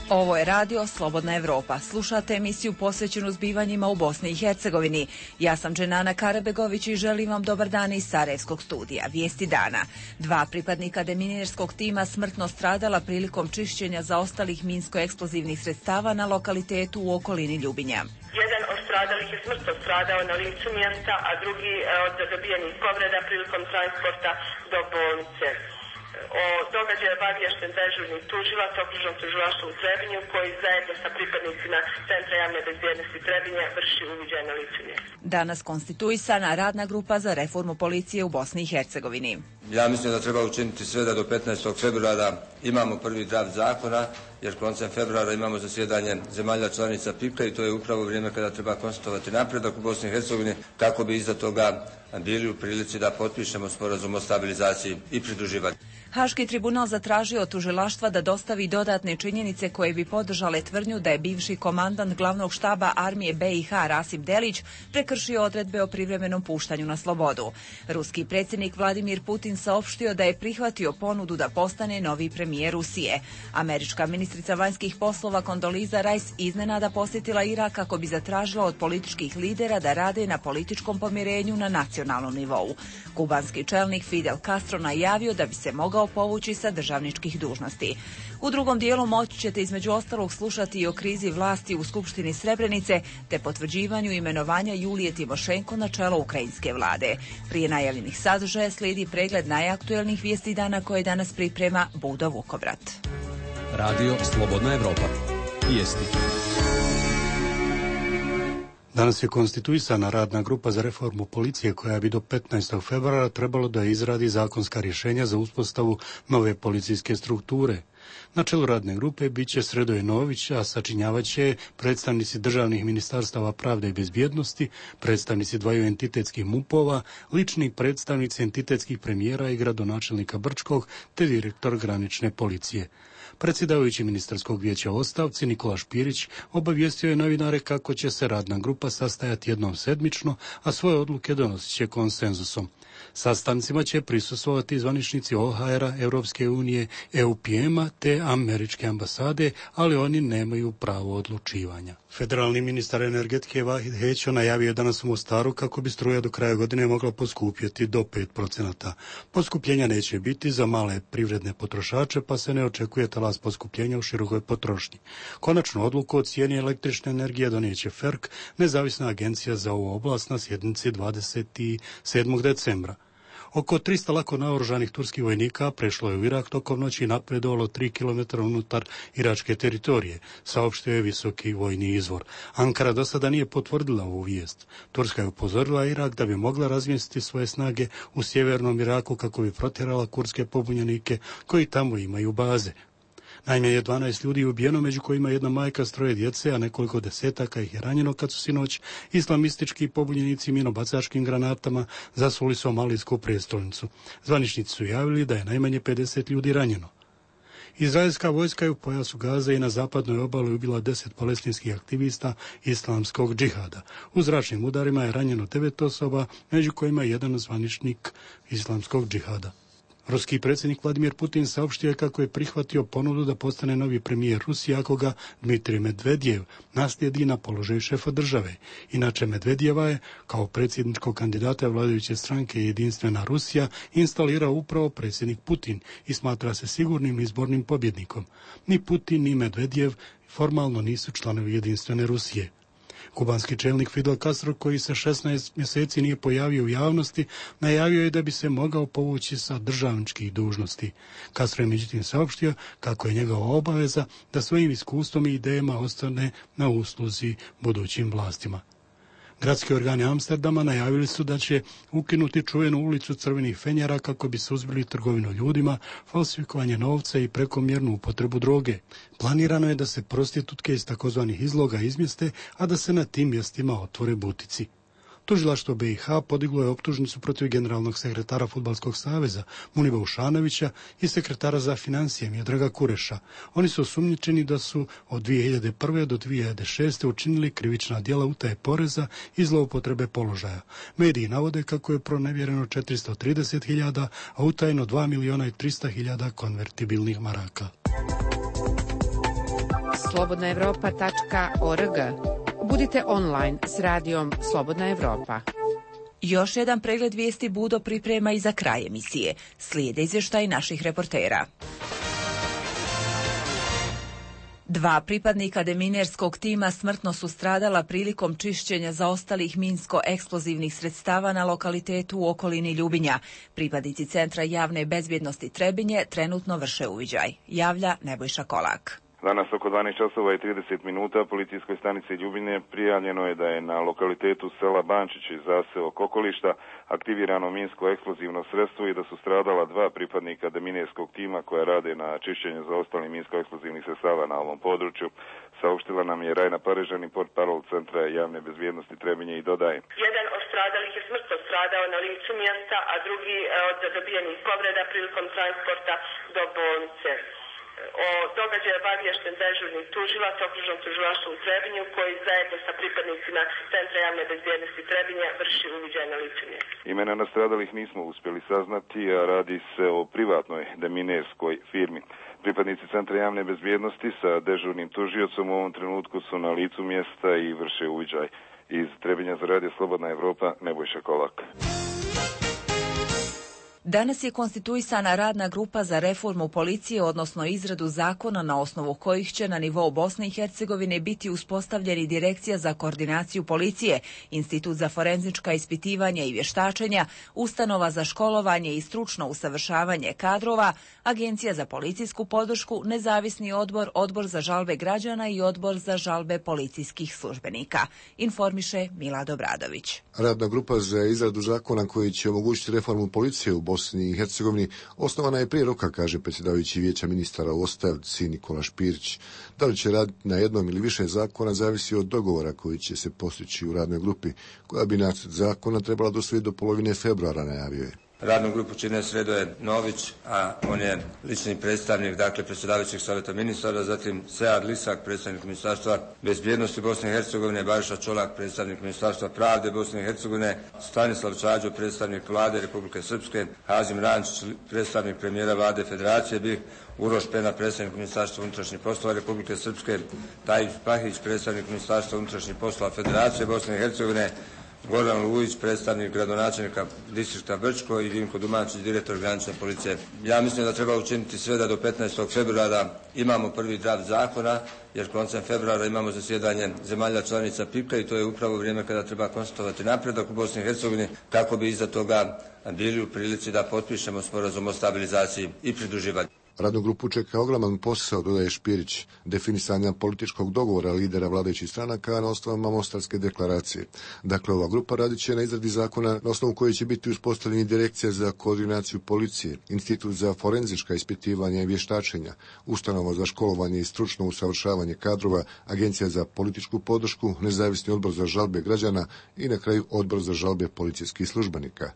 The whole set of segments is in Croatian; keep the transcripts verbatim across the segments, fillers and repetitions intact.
Ovo je radio Slobodna Evropa. Slušate emisiju posvećenu zbivanjima u Bosni i Hercegovini. Ja sam Dženana Karabegović i želim vam dobar dan iz Sarajevskog studija. Vijesti dana. Dva pripadnika deminirskog tima smrtno stradala prilikom čišćenja zaostalih minsko-eksplozivnih sredstava na lokalitetu u okolini Ljubinja. Jedan od stradalih je smrtno stradao na licu mjesta, a drugi od dobijenih povreda prilikom transporta do bolnice. O događaju je obaviješten dežurni tužilac okružnog tužilaštva u Trebinju koji zajedno sa pripadnicima Centra javne bezbjednosti Trebinja vrši uviđaj na licu mjesta. Danas konstituisana radna grupa za reformu policije u Bosni i Hercegovini. Ja mislim da treba učiniti sve da do petnaestog februara imamo prvi draft zakona, jer koncem februara imamo zasjedanje zemalja članica P I P-a i to je upravo vrijeme kada treba konstatovati napredak u Bosni i Hercegovini kako bi iza toga bili u prilici da potpišemo sporazum o stabilizaciji i pridruživanju. Haški tribunal zatražio od tužilaštva da dostavi dodatne činjenice koje bi podržale tvrdnju da je bivši komandant glavnog štaba armije B i H Rasim Delić prekršio odredbe o privremenom puštanju na slobodu. Ruski predsjednik Vladimir Putin saopštio da je prihvatio ponudu da postane novi premijer Rusije. Američka ministrica vanjskih poslova Kondoliza Rice iznenada posjetila Irak kako bi zatražila od političkih lidera da rade na političkom pomirenju na nacionalnom nivou. Kubanski čelnik Fidel Castro najavio da bi se mogao povući sa državničkih dužnosti. U drugom dijelu moći ćete između ostalog slušati i o krizi vlasti u Skupštini Srebrenice te potvrđivanju imenovanja Julije Timošenko na čelo ukrajinske vlade. Prije najavljenih sadržaja slijedi pregled najaktuelnijih vijesti dana koje danas priprema Budo Vukovrat. Radio Slobodna Evropa. Vijesti. Danas je konstituisana radna grupa za reformu policije koja bi do petnaestog februara trebalo da izradi zakonska rješenja za uspostavu nove policijske strukture. Na čelu radne grupe bit će Sredoje Nović, a sačinjavat će predstavnici državnih ministarstava pravde i bezbjednosti, predstavnici dvaju entitetskih mupova, lični predstavnici entitetskih premijera i gradonačelnika Brčkog, te direktor granične policije. Predsjedavajući ministarskog vijeća u ostavci Nikola Špirić obavijestio je novinare kako će se radna grupa sastajati jednom sedmično, a svoje odluke donosit će konsenzusom. Sastancima će prisustvovati zvaničnici O H R-a, Europske unije, E U P M-a te američke ambasade, ali oni nemaju pravo odlučivanja. Federalni ministar energetike Vahid Hećo najavio je danas u Mostaru kako bi struja do kraja godine mogla poskupjeti do pet procenata. Poskupljenja neće biti za male privredne potrošače, pa se ne očekuje talas poskupljenja u širokoj potrošnji. Konačnu odluku o cijeni električne energije donijeće F E R K, nezavisna agencija za ovu oblast, na sjednici dvadeset sedmog decembra. Oko trista lako naoružanih turskih vojnika prešlo je u Irak tokom noći i napredovalo tri kilometra unutar iračke teritorije, saopštio je visoki vojni izvor. Ankara do sada nije potvrdila ovu vijest. Turska je upozorila Irak da bi mogla razmjestiti svoje snage u sjevernom Iraku kako bi protjerala kurdske pobunjenike koji tamo imaju baze. Najmanje dvanaest ljudi je ubijeno, među kojima jedna majka s troje djece, a nekoliko desetaka ih je ranjeno kad su sinoć islamistički pobunjenici minobacačkim granatama zasuli somalijsku prijestolnicu. Zvaničnici su javili da je najmanje pedeset ljudi ranjeno. Izraelska vojska je u pojasu Gaze i na zapadnoj obali ubila deset palestinskih aktivista islamskog džihada. U zračnim udarima je ranjeno devet osoba, među kojima je jedan zvaničnik islamskog džihada. Ruski predsjednik Vladimir Putin saopštio je kako je prihvatio ponudu da postane novi premijer Rusije ako ga Dmitrij Medvedjev naslijedi na položaju šefa države. Inače, Medvedjeva je kao predsjedničkog kandidata vladajuće stranke Jedinstvena Rusija instalirao upravo predsjednik Putin i smatra se sigurnim izbornim pobjednikom. Ni Putin ni Medvedjev formalno nisu članovi Jedinstvene Rusije. Kubanski čelnik Fidel Castro, koji se šesnaest mjeseci nije pojavio u javnosti, najavio je da bi se mogao povući sa državničkih dužnosti. Castro je međutim saopštio kako je njegova obaveza da svojim iskustvom i idejama ostane na usluzi budućim vlastima. Gradski organi Amsterdama najavili su da će ukinuti čuvenu ulicu crvenih fenjera kako bi suzbili trgovinu ljudima, falsifikovanje novca i prekomjernu upotrebu droge. Planirano je da se prostitutke iz takozvanih izloga izmjeste, a da se na tim mjestima otvore butici. Tužilaštvo B i H podiglo je optužnicu protiv generalnog sekretara Fudbalskog saveza Muniba Ušanovića i sekretara za financije Miodraga Kureša. Oni su osumnjičeni da su od dvije hiljade prve do dvije hiljade šeste učinili krivična djela utaje poreza i zloupotrebe položaja. Mediji navode kako je pronevjereno četiristo trideset hiljada, a utajeno dva milijuna i trista hiljada konvertibilnih maraka. slobodna evropa tačka org. Budite online s radijom Slobodna Evropa. Još jedan pregled vijesti Budo priprema i za kraj emisije. Slijede izvještaj naših reportera. Dva pripadnika deminerskog tima smrtno su stradala prilikom čišćenja zaostalih minsko-eksplozivnih sredstava na lokalitetu u okolini Ljubinja. Pripadnici Centra javne bezbjednosti Trebinje trenutno vrše uviđaj. Javlja Nebojša Kolak. Danas oko dvanaest časova i trideset minuta policijskoj stanici Ljubinje prijavljeno je da je na lokalitetu sela Bančić i zaseok okolišta aktivirano minsko-eksplozivno sredstvo i da su stradala dva pripadnika deminerskog tima koja rade na čišćenju zaostalih minsko-eksplozivnih sredstava na ovom području. Saopštila nam je Rajna Parežani, portparol Centra javne bezbjednosti Trebinje i dodaje. Jedan od stradalih je smrtno stradao na licu mjesta, a drugi od zadobijenih povreda prilikom transporta do bolnice. O događaju obaviješten dežurni tužilac okružnog tužilaštva u Trebinju koji zajedno sa pripadnicima Centra javne bezbjednosti Trebinja vrši uviđaj na licu mjesta. Imena nastradalih nismo uspjeli saznati, a radi se o privatnoj deminerskoj firmi. Pripadnici Centra javne bezbjednosti sa dežurnim tužiocom u ovom trenutku su na licu mjesta i vrše uviđaj. Iz Trebinja za radio Slobodna Evropa, Nebojša Kolak. Danas je konstituisana radna grupa za reformu policije, odnosno izradu zakona na osnovu kojih će na nivou Bosne i Hercegovine biti uspostavljeni Direkcija za koordinaciju policije, Institut za forenzička ispitivanja i vještačenja, Ustanova za školovanje i stručno usavršavanje kadrova, Agencija za policijsku podršku, Nezavisni odbor, Odbor za žalbe građana i Odbor za žalbe policijskih službenika. Informiše Milad Obradović. Radna grupa za izradu zakona koji će omogućiti reformu policije u Bosni i Hercegovini osnovana je prije roka, kaže predsjedavajući vijeća ministara u ostavci Nikola Špirić. Da li će raditi na jednom ili više zakona zavisi od dogovora koji će se postići u radnoj grupi, koja bi nacrt zakona trebala dostaviti do polovine februara, najavio je. Radnu grupu čine Sredoje Nović, a on je lični predstavnik, dakle, predsjedavajućeg savjeta ministara, zatim Sead Lisak, predstavnik Ministarstva bezbjednosti Bosne i Hercegovine, Bariša Čolak, predstavnik Ministarstva pravde Bosne i Hercegovine, Stanislav Čađo, predstavnik Vlade Republike Srpske, Hazim Rančić, predstavnik premijera Vlade Federacije B i H, Uroš Pena, predstavnik Ministarstva unutrašnjih poslova Republike Srpske, Tajif Pahić, predstavnik Ministarstva unutrašnjih poslova Federacije Bosne i Hercegovine, Goran Lujić, predstavnik gradonačelnika distrikta Brčko i Vinko Dumančić, direktor granične policije. Ja mislim da treba učiniti sve da do petnaestog februara imamo prvi draft zakona, jer koncem februara imamo zasjedanje zemalja članica P I K-a i to je upravo vrijeme kada treba konstatovati napredak u Bosni i Hercegovini kako bi iza toga bili u prilici da potpišemo sporazum o stabilizaciji i pridruživanju. Radnu grupu čeka ogroman posao, dodaje Špirić, definisanja političkog dogovora lidera vladajućih stranaka na osnovama Mostarske deklaracije. Dakle, ova grupa radit će na izradi zakona na osnovu koji će biti uspostavljeni Direkcija za koordinaciju policije, Institut za forenzička ispitivanja i vještačenja, Ustanova za školovanje i stručno usavršavanje kadrova, Agencija za političku podršku, Nezavisni odbor za žalbe građana i na kraju Odbor za žalbe policijskih službenika.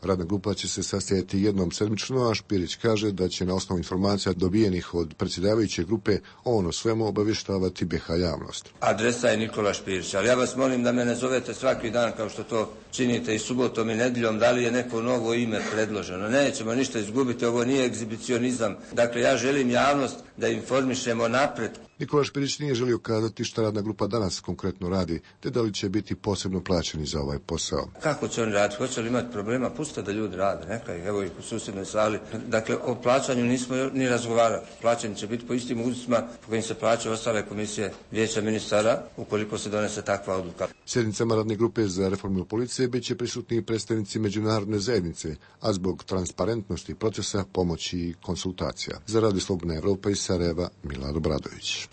Radna grupa će se sastajati jednom sedmično, a Špirić kaže da će na osnovu informacija dobijenih od predsjedavajuće grupe on o svemu obavještavati B H javnost. Adresa je Nikola Špirić, ali ja vas molim da me ne zovete svaki dan kao što to činite i subotom i nedjeljom, da li je neko novo ime predloženo. Nećemo ništa izgubiti, ovo nije egzibicionizam. Dakle, ja želim javnost da informišemo napred. Nikola Špirić nije želio kazati šta radna grupa danas konkretno radi, te da li će biti posebno plaćeni za ovaj posao. Kako će oni raditi? Hoće li imati problema? Pustite da ljudi rade, neka ih, evo ih u susjednoj sali. Dakle, o plaćanju nismo ni razgovarali. Plaćanje će biti po istim uzusima po kojim se plaćaju ostale komisije vijeća ministara, ukoliko se donese takva odluka. Sjednicama radne grupe za reformu policije bit će prisutni predstavnici međunarodne zajednice, a zbog transparentnosti procesa, pomoći i konsultacija. Za Radio Slobodna Evropa iz Sarajeva, Milad Obradović.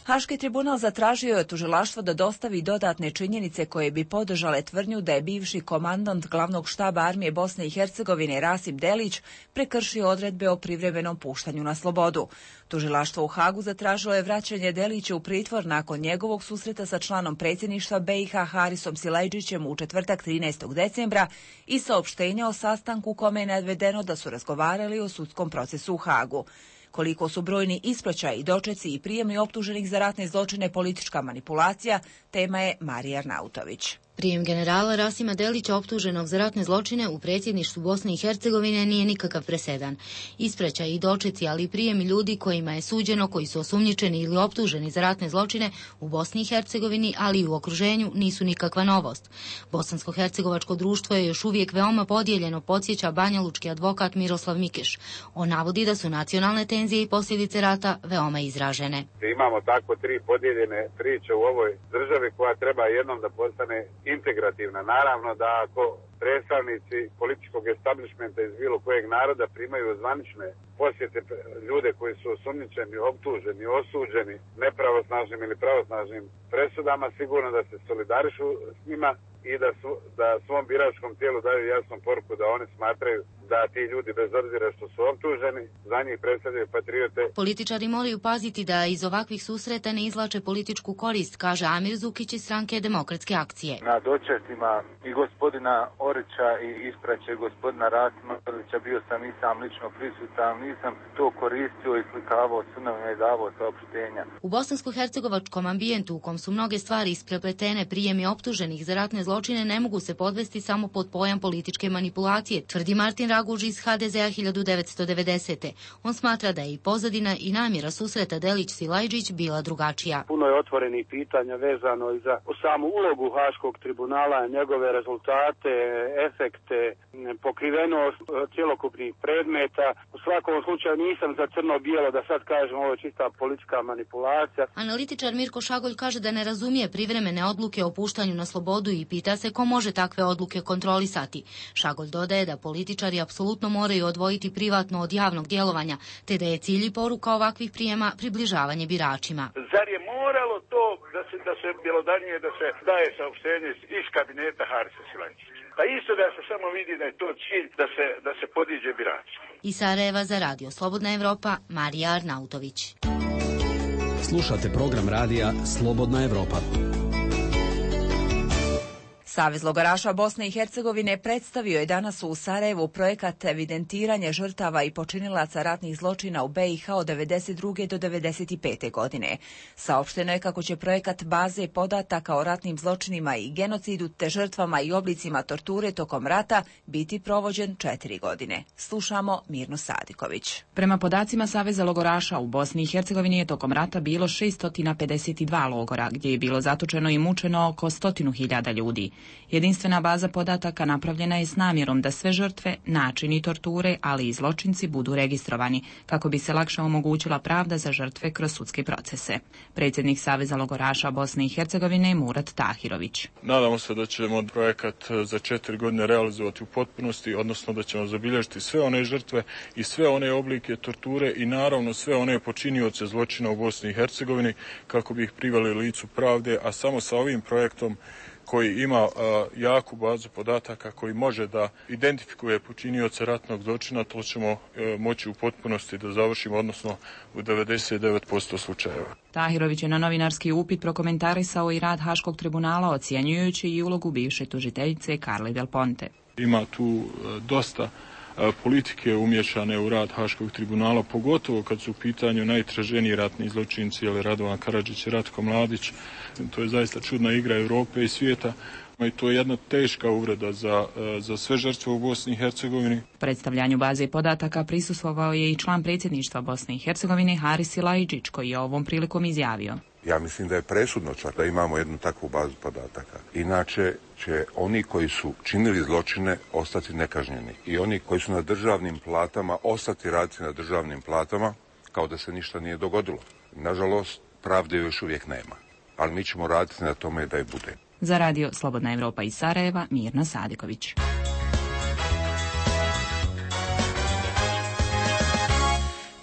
Haški tribunal zatražio je od tužilaštva da dostavi dodatne činjenice koje bi podržale tvrdnju da je bivši komandant glavnog štaba armije Bosne i Hercegovine Rasim Delić prekršio odredbe o privremenom puštanju na slobodu. Tužilaštvo u Hagu zatražilo je vraćanje Delića u pritvor nakon njegovog susreta sa članom predsjedništva B i H Harisom Silajdžićem u četvrtak trinaestog decembra i saopštenja o sastanku u kome je navedeno da su razgovarali o sudskom procesu u Hagu. Koliko su brojni ispraćaji, dočeci i prijemi optuženih za ratne zločine politička manipulacija, tema je Marija Arnautović. Prijem generala Rasima Delića optuženog za ratne zločine u predsjedništvu Bosne i Hercegovine nije nikakav presedan. Ispraćaj i dočeci, ali i prijem ljudi kojima je suđeno, koji su osumnjičeni ili optuženi za ratne zločine u Bosni i Hercegovini, ali i u okruženju, nisu nikakva novost. Bosansko-hercegovačko društvo je još uvijek veoma podijeljeno, podsjeća banjalučki advokat Miroslav Mikeš. On navodi da su nacionalne tenzije i posljedice rata veoma izražene. Imamo tako tri podijeljene priče u ovoj državi koja treba jednom da postane integrativna. Naravno da ako predstavnici političkog establishmenta iz bilo kojeg naroda primaju zvanične posjete ljude koji su osumnjičeni, optuženi, osuđeni nepravosnažnim ili pravosnažnim presudama, sigurno da se solidarišu s njima i da, su, da svom biračkom tijelu daju jasnu poruku da oni smatraju da ti ljudi, bez obzira što su optuženi, za njih predstavljaju patriote. Političari moraju paziti da iz ovakvih susreta ne izvlače političku korist, kaže Amir Zukić iz stranke Demokratske akcije. Na dočecima i gospodina Orića i ispraće gospodina Rasima Delića bio sam i sam lično prisutan, nisam to koristio i slikavao sunovima i davao saopštenja. U bosansko-hercegovačkom ambijentu, u kom su mnoge stvari isprepletene, prijemi optuženih za ratne zločine ne mogu se podvesti samo pod pojam političke manipulacije, tvrdi Martin Raguž iz ha de ze a hiljadu devetsto devedesete. On smatra da je i pozadina i namjera susreta Delić-Silajđić bila drugačija. Puno je otvorenih pitanja vezano i za samu ulogu Haškog tribunala, njegove rezultate, efekte, pokrivenost cjelokupnih predmeta. U svakom slučaju nisam za crno-bijelo da sad kažem ovo je čista politička manipulacija. Analitičar Mirko Šagolj kaže da ne razumije privremene odluke o puštanju na slobodu i pita se ko može takve odluke kontrolisati. Šagolj dodaje da političari apsolutno moraju odvojiti privatno od javnog djelovanja, te da je cilj i poruka ovakvih prijema približavanje biračima. Zar je moralo to da se, da se bjelodanije da se daje saopštenje iz kabineta Harisa Silajđića? Pa isto da se samo vidi da je to cilj da se, da se podiđe birači. Iz Sarajeva za radio Slobodna Evropa, Marija Arnautović. Slušate program radija Slobodna Evropa. Savez logoraša Bosne i Hercegovine predstavio je danas u Sarajevu projekat evidentiranja žrtava i počinilaca ratnih zločina u be i ha od devedeset druge do devedeset pete godine. Saopšteno je kako će projekat baze podataka o ratnim zločinima i genocidu te žrtvama i oblicima torture tokom rata biti provođen četiri godine. Slušamo Mirnu Sadiković. Prema podacima Saveza logoraša u Bosni i Hercegovini je tokom rata bilo šesto pedeset dva logora, gdje je bilo zatočeno i mučeno oko stotinu hiljada ljudi. Jedinstvena baza podataka napravljena je s namjerom da sve žrtve, načini torture, ali i zločinci budu registrovani, kako bi se lakše omogućila pravda za žrtve kroz sudske procese. Predsjednik Saveza logoraša Bosne i Hercegovine Murat Tahirović. Nadamo se da ćemo projekat za četiri godine realizovati u potpunosti, odnosno da ćemo zabilježiti sve one žrtve i sve one oblike torture i naravno sve one počinioce zločina u Bosni i Hercegovini, kako bi ih priveli licu pravde, a samo sa ovim projektom koji ima uh, jaku bazu podataka koji može da identifikuje počinioce ratnog zločina, to ćemo uh, moći u potpunosti da završimo, odnosno u devedeset devet posto slučajeva. Tahirović je na novinarski upit prokomentarisao i rad Haškog tribunala, ocjenjujući i ulogu bivše tužiteljice Carle Del Ponte. Ima tu uh, dosta politike umješane u rad Haškog tribunala, pogotovo kad su u pitanju najtraženiji ratni zločinci, ili Radovan Karadžić i Ratko Mladić. To je zaista čudna igra Europe i svijeta. I to je jedna teška uvreda za, za sve žrtve u Bosni i Hercegovini. Predstavljanju baze podataka prisustvovao je i član predsjedništva Bosne i Hercegovine Haris Silajđić, koji je ovom prilikom izjavio. Ja mislim da je presudno čak da imamo jednu takvu bazu podataka. Inače će oni koji su činili zločine ostati nekažnjeni i oni koji su na državnim platama ostati raditi na državnim platama kao da se ništa nije dogodilo. Nažalost, pravde još uvijek nema, ali mi ćemo raditi na tome da je bude. Za radio Slobodna Evropa iz Sarajeva, Mirna Sadiković.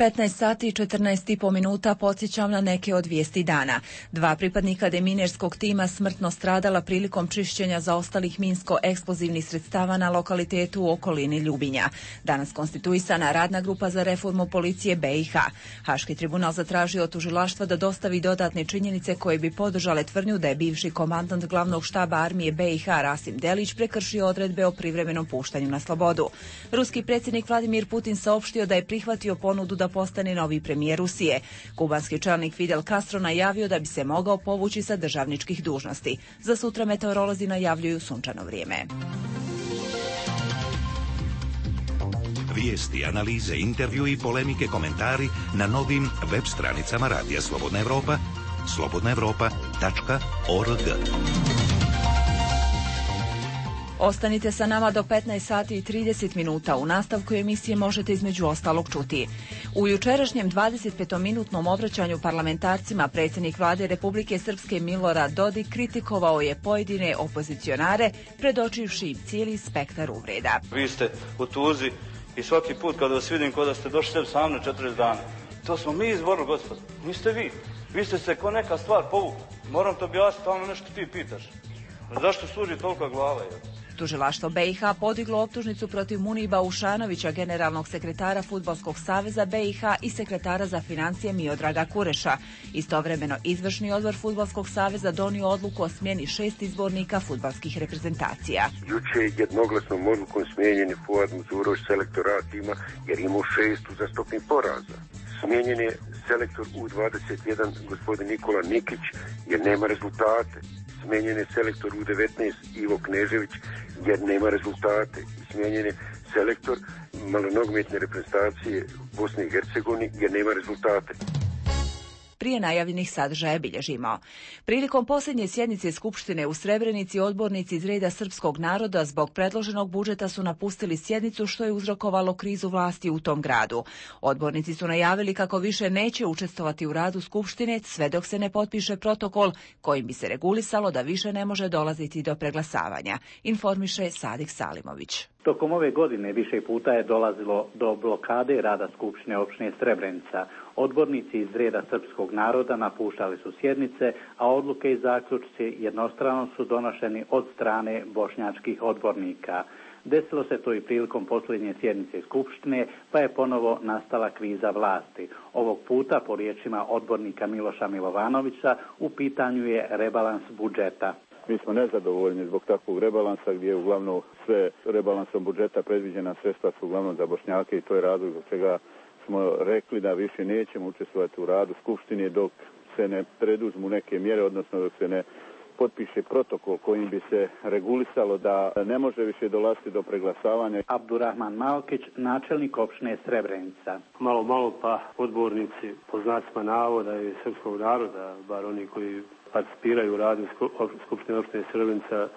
petnaest sati i četrnaest i po minuta podsjećam na neke od vijesti dana. Dva pripadnika deminerskog tima smrtno stradala prilikom čišćenja zaostalih minsko-eksplozivnih sredstava na lokalitetu u okolini Ljubinja. Danas konstituisana radna grupa za reformu policije be i ha. Haški tribunal zatražio od tužilaštva da dostavi dodatne činjenice koje bi podržale tvrdnju da je bivši komandant glavnog štaba armije be i ha Rasim Delić prekršio odredbe o privremenom puštanju na slobodu. Ruski predsjednik Vladimir Putin saopštio da je prihvatio ponudu da postane novi premijer Rusije. Kubanski čelnik Fidel Castro najavio da bi se mogao povući sa državničkih dužnosti. Za sutra meteorolozi najavljuju sunčano vrijeme. Vijesti, analize, intervju i polemike, komentari na novim web stranicama Radija Slobodna Evropa, slobodna evropa tačka org. Ostanite sa nama do petnaest sati i trideset minuta. U nastavku emisije možete između ostalog čuti. U jučerašnjem dvadesetpetominutnom obraćanju parlamentarcima predsjednik vlade Republike Srpske Milorad Dodik kritikovao je pojedine opozicionare, predočivši im cijeli spektar uvreda. Vi ste u tuzi i svaki put kada vas vidim kao da ste došli sebi sam na četrdeset dana. To smo mi izborili, gospod. Niste vi. Vi ste se ko neka stvar povukli. Moram to objasniti, tamo nešto ti pitaš. Zašto služi tolika glava? Je? Tužilaštvo B i H podiglo optužnicu protiv Muniba Ušanovića, generalnog sekretara Fudbalskog saveza B i H i sekretara za financije Miodraga Kureša. Istovremeno, izvršni odbor Fudbalskog saveza donio odluku o smjeni šest izbornika fudbalskih reprezentacija. Juče je jednoglasnom odlukom smijenjen je Fuad Muzurović, selektor A tima, jer imao šest uzastopnih poraza. Smijenjen je selektor U dvadeset jedan, gospodin Nikola Nikić, jer nema rezultate. Smijenjen je selektor U devetnaest Ivo Knežević jer nema rezultate. Smijenjen je selektor malonogometne reprezentacije Bosne i Hercegovine jer nema rezultate. Prije najavljenih sadržaja bilježimo. Prilikom posljednje sjednice Skupštine u Srebrenici odbornici iz reda srpskog naroda zbog predloženog budžeta su napustili sjednicu, što je uzrokovalo krizu vlasti u tom gradu. Odbornici su najavili kako više neće učestvovati u radu Skupštine sve dok se ne potpiše protokol kojim bi se regulisalo da više ne može dolaziti do preglasavanja, informiše Sadik Salimović. Tokom ove godine više puta je dolazilo do blokade rada Skupštine opštine Srebrenica. Odbornici iz reda srpskog naroda napuštali su sjednice, a odluke i zaključci jednostrano su donošeni od strane bošnjačkih odbornika. Desilo se to i prilikom posljednje sjednice Skupštine, pa je ponovo nastala kriza vlasti. Ovog puta, po riječima odbornika Miloša Milovanovića, u pitanju je rebalans budžeta. Mi smo nezadovoljni zbog takvog rebalansa gdje je uglavnom sve rebalansom budžeta predviđena sredstva su uglavnom za Bošnjake i to je razlog zbog čega smo rekli da više nećemo učestvovati u radu Skupštine dok se ne preduzmu neke mjere, odnosno dok se ne potpiše protokol kojim bi se regulisalo da ne može više dolaziti do preglasavanja. Abdurrahman Malkić, načelnik opštine Srebrenica. Malo, malo pa odbornici po znacima navoda i srpskog naroda, bar oni koji participiraju u radu Skupštine opštine Srebrenica,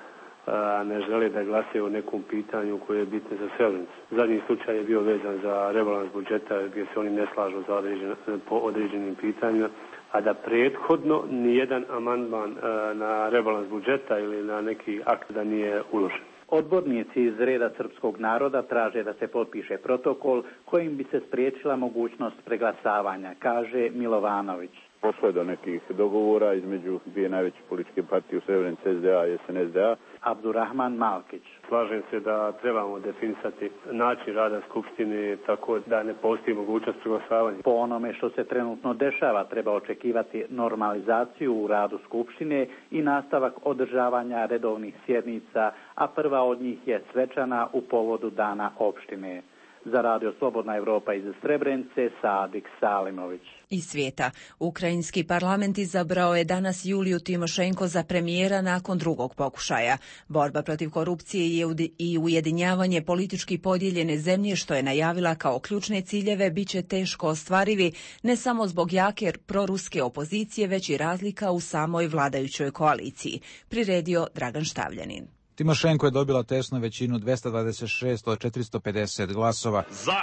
a ne žele da glasaju o nekom pitanju koje je bitno za Srebrenicu. Zadnji slučaj je bio vezan za rebalans budžeta gdje se oni ne slažu za određen, po određenim pitanjima, a da prethodno nijedan amandman na rebalans budžeta ili na neki akt da nije uložen. Odbornici iz reda srpskog naroda traže da se potpiše protokol kojim bi se spriječila mogućnost preglasavanja, kaže Milovanović. Pošlo je do nekih dogovora između dvije najveće političke partije u Srebrenici, S D A i S N S D A. Abdurrahman Malkić. Slažem se da trebamo definisati način rada Skupštine tako da ne postoji mogućnost preglasavanja. Po onome što se trenutno dešava, treba očekivati normalizaciju u radu Skupštine i nastavak održavanja redovnih sjednica, a prva od njih je svečana u povodu Dana opštine. Za Radio Slobodna Evropa iz Srebrenice, Sadik Salimović. Iz svijeta. Ukrajinski parlament izabrao je danas Juliju Timošenko za premijera nakon drugog pokušaja. Borba protiv korupcije i ujedinjavanje politički podijeljene zemlje, što je najavila kao ključne ciljeve, bit će teško ostvarivi, ne samo zbog jake proruske opozicije, već i razlika u samoj vladajućoj koaliciji. Priredio Dragan Štavljanin. Timošenko je dobila tesnu većinu dvesta dvadeset šest od četiristo pedeset glasova. Za!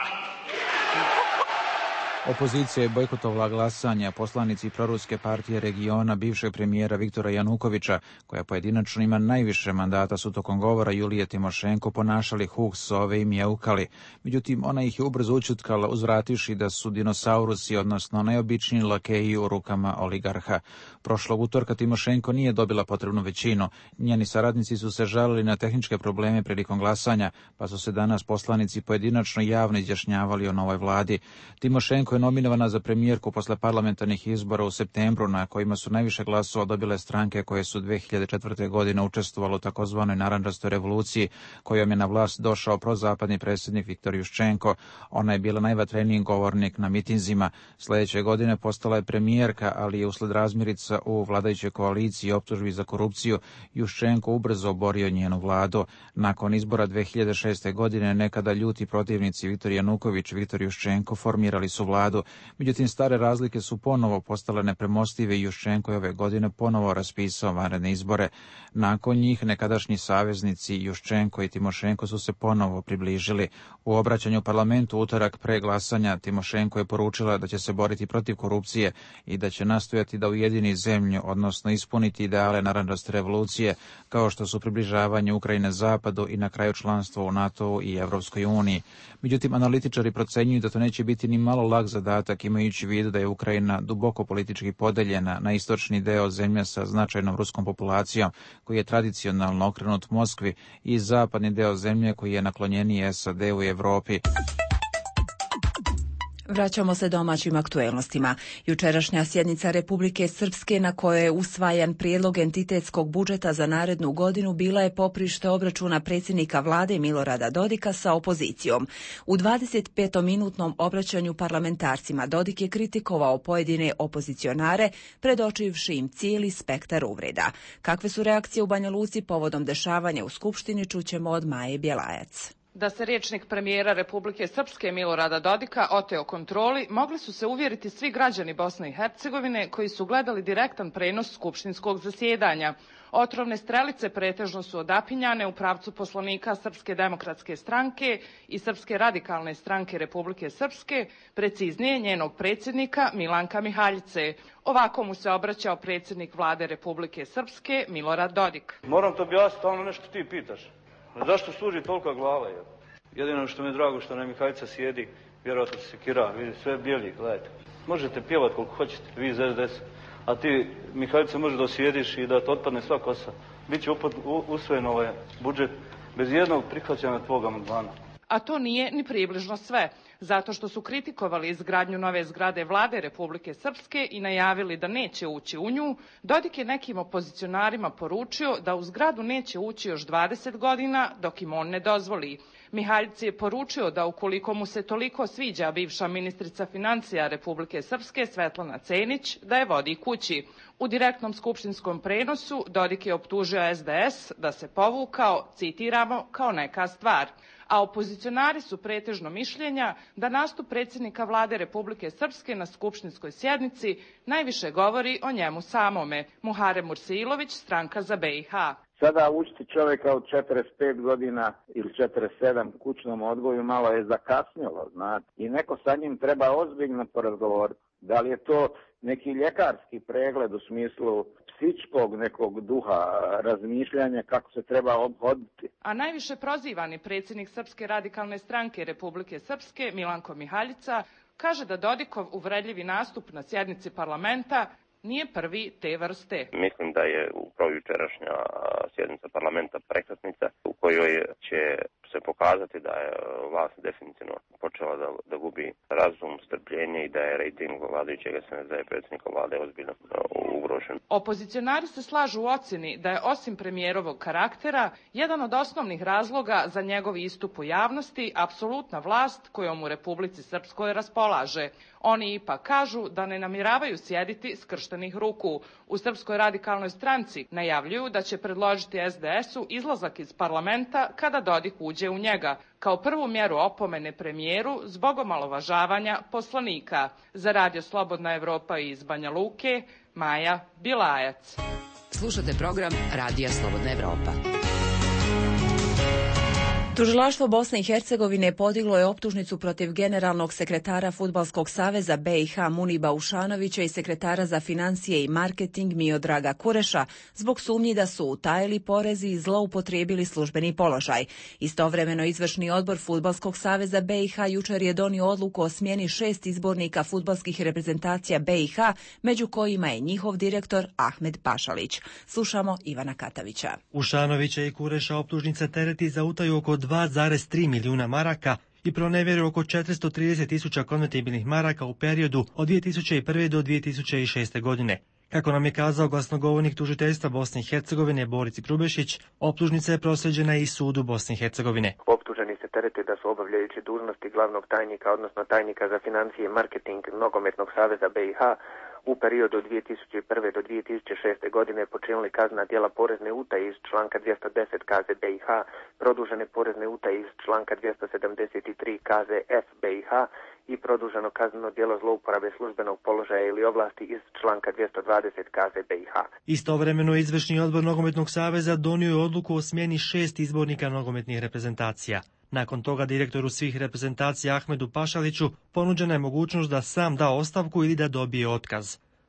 Opozicija je bojkotovala glasanje, a poslanici proruske partije regiona bivšeg premijera Viktora Janukovića, koja pojedinačno ima najviše mandata, su tokom govora Julije Timošenko ponašali huk sove i mjeukali. Međutim, ona ih je ubrzo učutkala, uzvrativši da su dinosaurusi, odnosno najobičniji lakeji u rukama oligarha. Prošlog utorka Timošenko nije dobila potrebnu većinu. Njeni saradnici su se žalili na tehničke probleme prilikom glasanja, pa su se danas poslanici pojedinačno javno izjašnjavali o novoj vladi. Timošenko Juščenko je nominovana za premijerku posle parlamentarnih izbora u septembru, na kojima su najviše glasova dobile stranke koje su dve hiljade četvrte. godine učestvovalo u takozvanoj narandžastoj revoluciji, kojom je na vlast došao prozapadni predsjednik Viktor Juščenko. Ona je bila najvatreniji govornik na mitinzima. Sljedeće godine postala je premijerka, ali je usled razmirica u vladajućoj koaliciji i optužbi za korupciju Juščenko ubrzo oborio njenu vladu. Nakon izbora dve hiljade šeste. godine nekada ljuti protivnici Viktor Januković i Viktor Juščenko formirali su vladu. Međutim, stare razlike su ponovo postale nepremostive i Juščenko je ove godine ponovo raspisao vanredne izbore. Nakon njih nekadašnji saveznici Juščenko i Timošenko su se ponovo približili. U obraćanju parlamentu utorak pre glasanja Timošenko je poručila da će se boriti protiv korupcije i da će nastojati da ujedini zemlju, odnosno ispuniti ideale narandžaste revolucije, kao što su približavanje Ukrajine zapadu i na kraju članstvo u NATO i Evropskoj uniji. Međutim, analitičari procenjuju da to neće biti ni malo lak zadatak, imajući u vidu da je Ukrajina duboko politički podeljena na istočni deo zemlje sa značajnom ruskom populacijom, koji je tradicionalno okrenut Moskvi, i zapadni deo zemlje koji je naklonjeniji S A D-u i Evropi. Vraćamo se domaćim aktuelnostima. Jučerašnja sjednica Republike Srpske, na kojoj je usvajan prijedlog entitetskog budžeta za narednu godinu, bila je poprište obračuna predsjednika vlade Milorada Dodika sa opozicijom. U dvadesetpetominutnom obraćanju parlamentarcima Dodik je kritikovao pojedine opozicionare, predočivši im cijeli spektar uvreda. Kakve su reakcije u Banja Luci povodom dešavanja u Skupštini, čućemo od Maje Bjelajac. Da se rječnik premijera Republike Srpske Milorada Dodika oteo kontroli, mogli su se uvjeriti svi građani Bosne i Hercegovine koji su gledali direktan prenos skupštinskog zasjedanja. Otrovne strelice pretežno su odapinjane u pravcu poslanika Srpske demokratske stranke i Srpske radikalne stranke Republike Srpske, preciznije njenog predsjednika Milanka Mihaljice. Ovako mu se obraćao predsjednik vlade Republike Srpske Milorad Dodik. Moram to objasniti, ono nešto ti pitaš. Zašto služi tolika glava? Je? Jedino što mi je drago što nam Mihajca sjedi, vjerojatno se sekira, vidi sve bijeli, gledajte. Možete pjevati koliko hoćete, vi iz S D S, a ti Mihajca može da sjediš i da te otpadne sva kosa. Biće upad, u, usvojen ovaj budžet bez jednog prihvaćanja tvog amandmana. A to nije ni približno sve, zato što su kritikovali izgradnju nove zgrade vlade Republike Srpske i najavili da neće ući u nju. Dodik je nekim opozicionarima poručio da u zgradu neće ući još dvadeset godina dok im on ne dozvoli. Mihaljici je poručio da ukoliko mu se toliko sviđa bivša ministrica financija Republike Srpske Svetlana Cenić, da je vodi kući. U direktnom skupštinskom prenosu Dodik je optužio S D S da se povukao, citiramo, kao neka stvar. A opozicionari su pretežno mišljenja da nastup predsjednika vlade Republike Srpske na skupštinskoj sjednici najviše govori o njemu samome. Muharem Mursailović, Stranka za B i H. Sada učiti čovjeka od četrdeset pet godina ili četrdeset sedam kućnom odgoju malo je zakasnilo, znate. I neko sa njim treba ozbiljno porazgovoriti. Da li je to neki ljekarski pregled u smislu psičkog nekog duha, razmišljanja kako se treba obhoditi. A najviše prozivani predsjednik Srpske radikalne stranke Republike Srpske, Milanko Mihaljica, kaže da Dodikov uvredljivi nastup na sjednici parlamenta nije prvi te vrste. Mislim da je upravo jučerašnja sjednica parlamenta prekretnica u kojoj će se pokazati da je vlast definitivno počela da, da gubi razum, strpljenje i da je rejting vladajućeg S N D i predsjednika vlade ozbiljno ugrožen. Opozicionari se slažu u ocjeni da je osim premijerovog karaktera jedan od osnovnih razloga za njegov istup u javnosti apsolutna vlast kojom u Republici Srpskoj raspolaže. Oni ipak kažu da ne namjeravaju sjediti skrštenih ruku. U Srpskoj radikalnoj stranci najavljuju da će predložiti S D S-u izlazak iz parlamenta kada Dodik uđe u njega, kao prvu mjeru opomene premijeru zbog omalovažavanja poslanika. Za Radio Slobodna Evropa iz Banja Luke, Maja Bilajac. Slušate program Radija Slobodna Evropa. Tužilaštvo Bosne i Hercegovine podiglo je optužnicu protiv generalnog sekretara Fudbalskog saveza B i H Muniba Ušanovića i sekretara za financije i marketing Miodraga Kureša zbog sumnji da su utajili porezi i zloupotrijebili službeni položaj. Istovremeno izvršni odbor Fudbalskog saveza B i H jučer je donio odluku o smjeni šest izbornika fudbalskih reprezentacija B i H, među kojima je njihov direktor Ahmed Pašalić. Slušamo Ivana Katavića. Ušanovića i Kureša optužnica tereti za utaju oko dva zarez tri milijuna maraka i pronevjerio oko četiristo trideset tisuća konvertibilnih maraka u periodu od dvije tisuće prve. do dvije tisuće šeste. godine. Kako nam je kazao glasnogovornik tužiteljstva Bosne i Hercegovine Boris Grubešić, optužnica je proslijeđena i sudu Bosne i Hercegovine. Optuženi se terete da su obavljajući dužnosti glavnog tajnika, odnosno tajnika za financije i marketing Nogometnog saveza B i H, u periodu od dvije tisuće prve. do dvije tisuće šeste. godine počinili kaznena djela porezne utaje iz članka dvjesto deset K Z B i H, produžene porezne utaje iz članka dvjesto sedamdeset tri K Z F B i H i produženo kazneno djelo zlouporabe službenog položaja ili ovlasti iz članka dvjesto dvadeset K Z B i H. Istovremeno izvršni odbor Nogometnog saveza donio je odluku o smjeni šest izbornika nogometnih reprezentacija. Nakon toga direktoru svih reprezentacija Ahmedu Pašaliću ponuđena je mogućnost da sam da ostavku ili da dobije otkaz.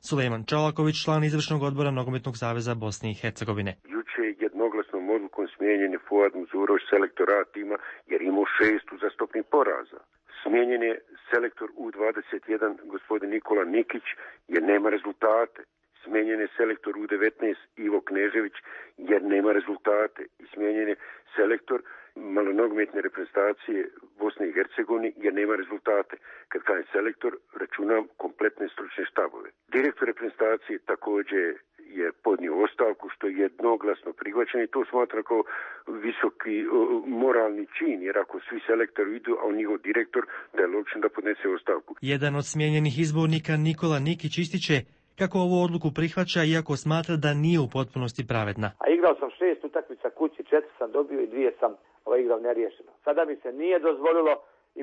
Sulejman Čolaković, član izvršnog odbora Nogometnog saveza Bosne i Hercegovine. Juče je jednoglasnom odlukom smijenjen je Fuad Muzurović, selektor A tima, jer imao šest uzastopnih poraza. Smijenjen je selektor U dvadeset jedan gospodin Nikola Nikić jer nema rezultate. Smijenjen je selektor U devetnaest Ivo Knežević jer nema rezultate. I smijenjen je selektor malonogometne reprezentacije Bosne i Hercegovine jer nema rezultate. Kad kažem selektor, računam kompletne stručne štabove. Direktor reprezentacije također je podnio ostavku, što je jednoglasno prihvaćeno i to smatra kao visoki o, moralni čin, jer ako svi selektori idu, a on njihov direktor, da je logično da podnese ostavku. Jedan od smijenjenih izbornika Nikola Nikić ističe kako ovu odluku prihvaća, iako smatra da nije u potpunosti pravedna. A igrao sam šest utakmica kući, četiri sam dobio i dvije sam ovaj, igrao neriješeno. Sada mi se nije dozvolilo,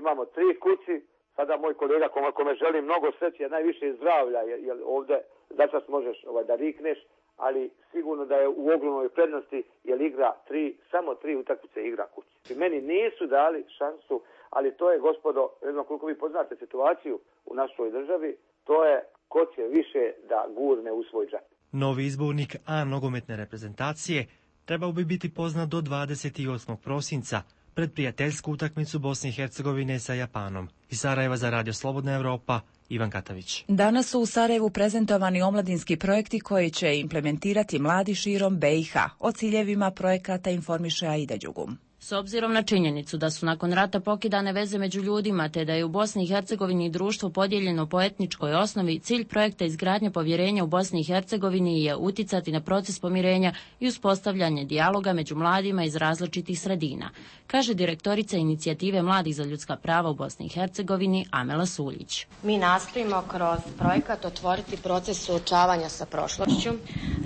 imamo tri kući, sada moj kolega kome, kome želim mnogo sreće, najviše zdravlja, jer, jer ovdje začas možeš ovaj, da rikneš, ali sigurno da je u ogromnoj prednosti, jer igra tri, samo tri utakmice igra kući. I meni nisu dali šansu, ali to je, gospodo, ne znam koliko vi poznate situaciju u našoj državi, to je ko će više da gurne u svoj džep. Novi izbornik A nogometne reprezentacije trebao bi biti poznat do dvadeset osmog prosinca pred prijateljsku utakmicu Bosne i Hercegovine sa Japanom. Iz Sarajeva za Radio Slobodna Evropa, Ivan Katavić. Danas su u Sarajevu prezentovani omladinski projekti koji će implementirati mladi širom B i H. O ciljevima projekata informiše Aida Đugum. S obzirom na činjenicu da su nakon rata pokidane veze među ljudima te da je u Bosni i Hercegovini društvo podijeljeno po etničkoj osnovi, cilj projekta izgradnje povjerenja u Bosni i Hercegovini je uticati na proces pomirenja i uspostavljanje dijaloga među mladima iz različitih sredina, kaže direktorica inicijative Mladih za ljudska prava u Bosni i Hercegovini Amela Suljić. Mi nastojimo kroz projekat otvoriti proces suočavanja sa prošlošću,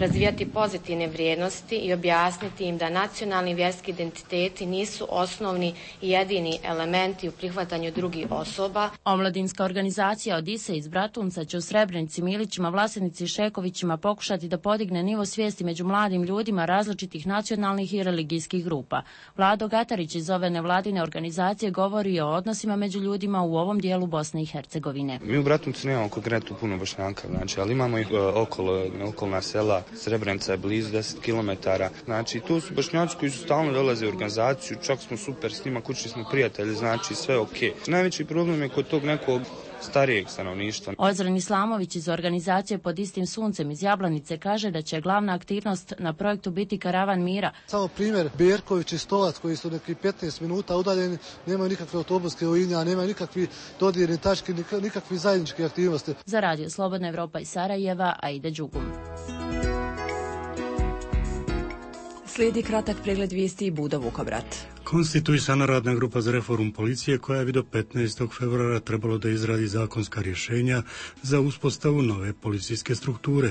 razvijati pozitivne vrijednosti i objasniti im da nacionalni vjerski identiteti nisu osnovni i jedini elementi u prihvatanju drugih osoba. Omladinska organizacija Odise iz Bratunca će u Srebrenici, Milićima, Vlasenici i Šekovićima pokušati da podigne nivo svijesti među mladim ljudima različitih nacionalnih i religijskih grupa. Vlado Gatarić iz ove nevladine organizacije govori o odnosima među ljudima u ovom dijelu Bosne i Hercegovine. Mi u Bratuncu nemamo konkretno puno Bošnjaka, znači, ali imamo ih okolo, okolna sela, Srebrenica je blizu deset kilometara. Znači, tu su Bošnjaci koji su stalno dolaze u organizaciju, čak smo super s njima, kućni smo prijatelji, znači sve ok. Najveći problem je kod tog nekog starijeg stanovništva. Ozren Islamović iz organizacije Pod istim suncem iz Jablanice kaže da će glavna aktivnost na projektu biti karavan mira. Samo primjer, Berković i Stolac koji su neki petnaest minuta udaljeni, nemaju nikakve autobuske linije, nemaju nikakvi dodirni tački, nikakvi zajedničke aktivnosti. Za Radio Slobodna Evropa iz Sarajeva, Aida Đugum. Slijedi kratak pregled vijesti i Budo Vukovrat. Konstituisana radna grupa za reformu policije koja bi do petnaestog februara trebalo da izradi zakonska rješenja za uspostavu nove policijske strukture.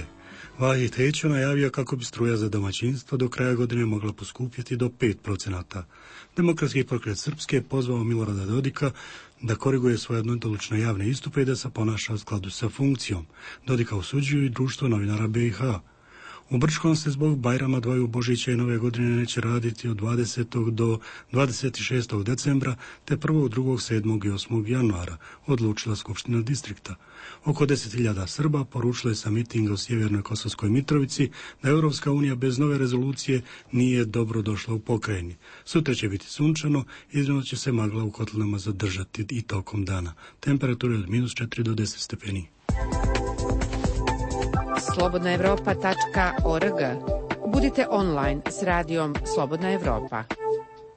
Vahid Hećo najavio kako bi struja za domaćinstvo do kraja godine mogla poskupjeti do pet procenata. Demokratski pokret Srpske je pozvao Milorada Dodika da koriguje svoje jednolično javne istupe i da se ponaša u skladu sa funkcijom. Dodika osuđuju i društvo novinara B i H. U Brčkom se zbog Bajrama dvaju Božića i Nove godine neće raditi od dvadesetog do dvadeset šestog decembra te prvog, drugog, sedmog i osmog januara, odlučila Skupština distrikta. Oko deset hiljada Srba poručilo je sa mitinga u Sjevernoj Kosovskoj Mitrovici da Europska unija bez nove rezolucije nije dobro došla u pokrajini. Sutra će biti sunčano, iznimno će se magla u kotlinama zadržati i tokom dana. Temperature od minus četiri do deset stepeni. slobodna evropa tačka org. Budite online s radijom Slobodna Evropa.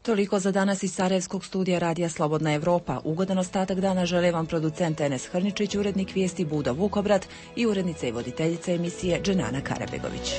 Toliko za danas iz Sarajevskog studija Radija Slobodna Evropa. Ugodan ostatak dana žele vam producent Enes Hrničić, urednik vijesti Budo Vukobrat i urednica i voditeljica emisije Dženana Karabegović.